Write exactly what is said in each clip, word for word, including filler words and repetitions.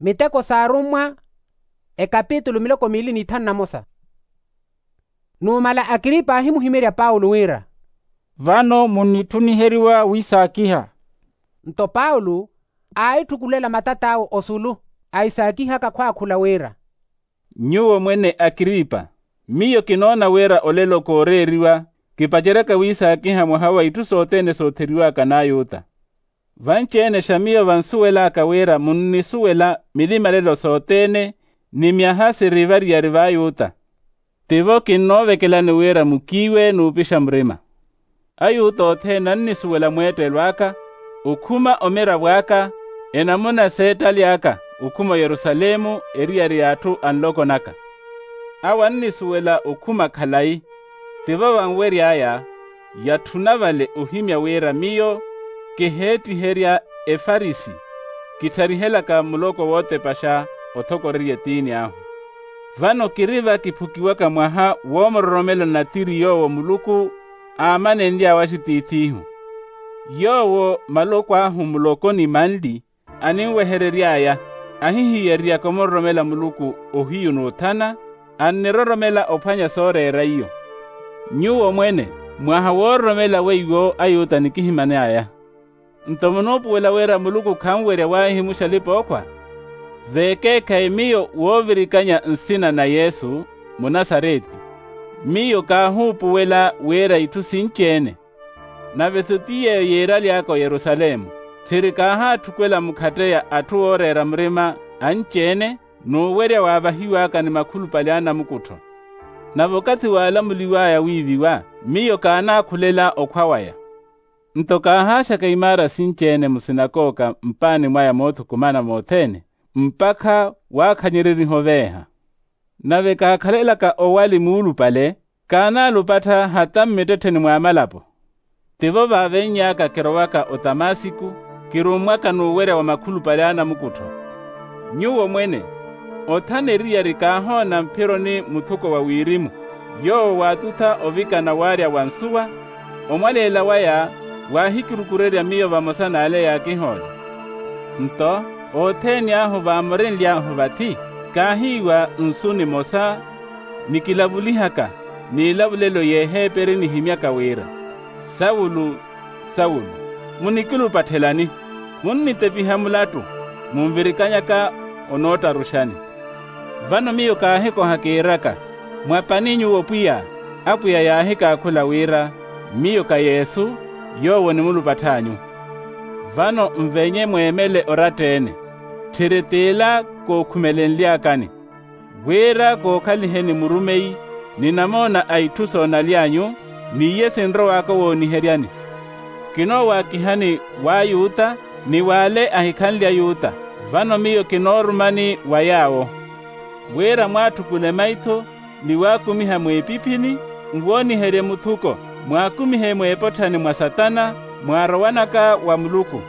Miteko s'arummwa, ekapitulu miloko miili n'ithanu na mosa. Numala akiripa aahimuhimerya paulo wira, vano munnitthuniheriwa wiisaakiha. Nto paulo aahittukulela matat'awe osulu, aisaakihaka khwaakhula wira, nyuwo mwene akiripa, miyo kinoona wira olelo kooreeriwa kipaceryaka wiisaakiha mwaha wa itthu sothene sootheriwaka n'ayuta. Vanci-ene xa miyo vansuwel'aka wira munnisuwela milimalelo sothene ni myaha siri variyari v'ayuta. Tivo kinnoovekelani wira mukiiwe n'upixa murima. Ayuta othene annisuwela mweettelo aka, okhuma omiravo aka, enamuna s'ettali aka, okhuma oyerusalemu eriyari y'atthu anloko naka. Awo annisuwela okhuma khalayi. Tivo vanwery'aya yatthuna vale ohimya wira miyo kiheettiherya efarisi, kittharihelaka muloko wootepaxa othokorerya etiini ahu. Vano kiri va kiphukiwaka mwaha woomuroromela natiri yoowo muluku aamanenly'awe axitiith'ihu. Yoowo maloko ahu muloko ni manli aninweherery'aya, ahihiyereryaka omuroromela muluku ohiyu n'uthana, anniroromela ophwanya sooreera iyo. Nyuwo mwene mwaha woororomela weiwo ayuta nikihiman'aya. Nto munuupuwela wira muluku khanwerya waahihimuxa alipa-ookhwa? Veekeekhayi miyo woovirikanya nsina na yesu munasareti, miyo kaahuupuwela wira itthu sinci-ene. Nave-tho ti yeeyo yiiraly'aka oyerusalemu, tthiri kaahaatthukwela mukhatteya atthu ooreera murima anci-ene, n'uwerya waavahiw'aka ni makhulupale a anamukuttho. Nave okathi waalamuliw'aya wiiviwa, miyo kaanaakhulela okhwa waya. Nto kaahaaxaka imaara sinci-ene musinakooka mpaani mwaya moothukumana mothene, mpakha waakhanyereriha oveeha. Nave kaakhalelaka owali muulupale, kaanaalupattha hata mmittettheni mw'amalapo. Tivo vaavenny'aka kirowaka otamasiku, kirummwaka n'uwerya wa makhulupale a anamukuttho. Nyuwo mwene othana eriyari kaahoona mphironi muthuko wa wirimu, yoowo waatutha ovikana waarya wa nsuwa, omwaleela waya waahikirukurerya miyo vamosa n'ale yaakihoola. Nto othene ahu vaamorenly'ahu vathi, kaahiiwa nsu nimosa, nikilavulihaka n'ilavulelo y'eheeperi nihimyaka wira, sawulu, sawulu, munikilupatthelani? Munnitepiha mulattu, munvirikanyaka onoottaruxani. Vano miyo kaahikoha kiiraka, mwa pani nyuwo pwiya? Apwiya yaahikaakhula wira, miyo ka yesu, yoowo onimulupattha anyu. Vano nvenye mweemele oratta-ene, tthiri t'ila kookhumelenly'akani, wira kookhaliheni murumeyi ni namoona a itthu soonaly'anyu, n'iye sinrow'aka owooniheryani. Kinoowaakihani w'ayuta ni w'ale ahikhanle ayuta, vano miyo kinoorumani wa yaawo, wira mwaatthukule maitho ni waakumiha mwiipiphini, nwooniherye muthuko, mwaakumihe mweepotthani mwa satana, mwaarowanaka wa muluku.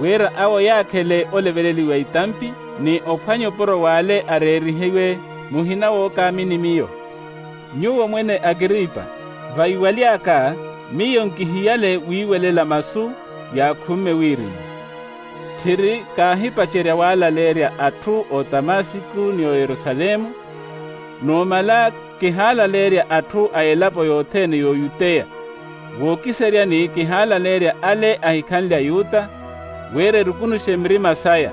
Wira awo yaakhele oleveleliwa itampi ni ophwanya opuro w'ale areerihiwe, muhina wookaamini miyo. Nyuwo mwene akiripa, vaiwaly'aka, miyo nkihiyale wiiwelela masu yaakhumme wirimu. Tthiri kaahipacerya waalaleerya atthu o tamasiku ni o yerusalemu, numala kihaalaleerya atthu a elapo yothene y'oyuteya. Wookiseryani kihaalaleerya ale ahikhanle ayuta, wira erukunuxe mirima saya,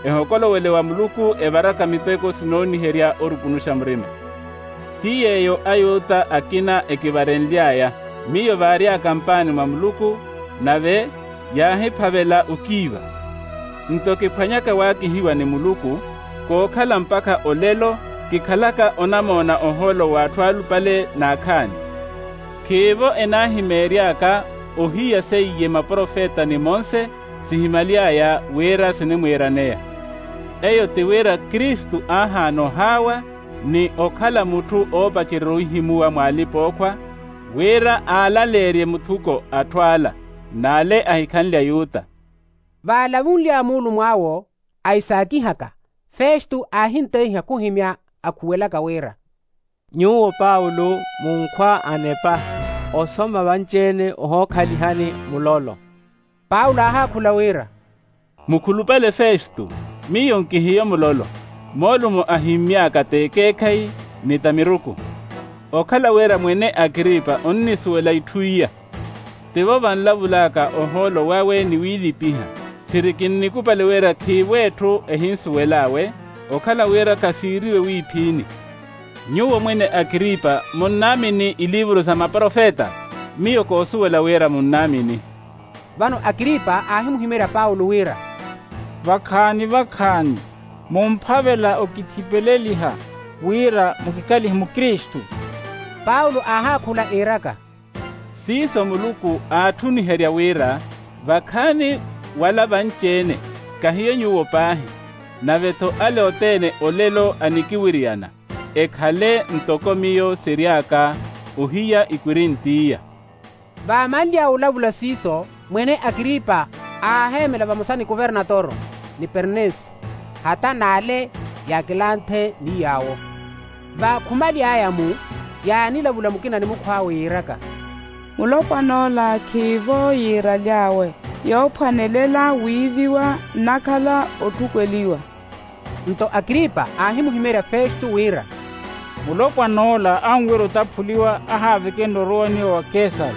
ehokolowele wa muluku evaraka miteko sinooniherya orukunuxa murima. Ti yeeyo ayuta akina ekivarenly'aya miyo vaary'aka mpaani mwa muluku, nave yaahiphavela okiiva. Nto kiphwanyaka waakihiwa ni muluku, kookhala mpakha olelo kikhalaka onamoona ohoolo w'atthu alupale n'akhaani. Khiivo enaahimeery'aka ohiya seiye maprofeta ni monse sihimaly'aya wira sinimwiiraneya. Eyo ti wira kristu aahaana ohaawa ni okhala mutthu oopacererya ohihimuwa mw'alipa-ookhwa, wira aalaleerye muthuko atthu ala n'ale ahikhanle ayuta. Vaalavunly'aya muulumw'awo aisaakihaka, festu aahinteiha khuhimya akhuwelaka wira, nyuwo paulo munkhwa anepa, osoma vanci-ene ohookhalihani mulolo. Paulo aahaakhula wira, mukhulupale festu, Miyo nkihiyo mulolo, moolumo ahimmy'aka t'ekeekhayi ni t'amiruku. Okhala wira mwene akripa onnisuwela itthu iya. Tivo vanlavul'aka ohoolo wawe ni wiilipiha. Tthiri kinnikupali wira khiivo etthu ehinsuwel'awe, okhala wira khasiiriwe wiiphiini. Nyuwo mwene akripa munnaamini iliivuru sa maprofeta? Miyo koosuwela wira munnaamini. Vano akripa aahimuhimerya paulo wira, vakhaani vakhaani, mumphavela okithipeleliha wira mukikalihe mukristu. Paulo aahaakhula iiraka, siiso muluku aatthuniherya wira vakhaani wala vanci-ene, kahiyo nyuwo paahi, nave-tho ale othene olelo anikiwiriyana, ekhale ntoko miyo siry'aka ohiya ikwirinti iya. Vaamanly'awe olavula siiso, mwene akripa aaheemela vamosa ni kuvernatoro, ni pernisi, hata n'ale yaakilanthe ni yaawo. Vaakhumaly'aya-mu, yaanilavula mukina ni mukhw'awe yiiraka, mulopwan'ola khiivo yiiraly'awe, yoophwanelela wiiviwa nnakhala otthukweliwa. Nto akripa aahimuhimerya festo wira, mulopwan'ola anwira otaphuliwa ahaavekenle orowaniwa wa kesari.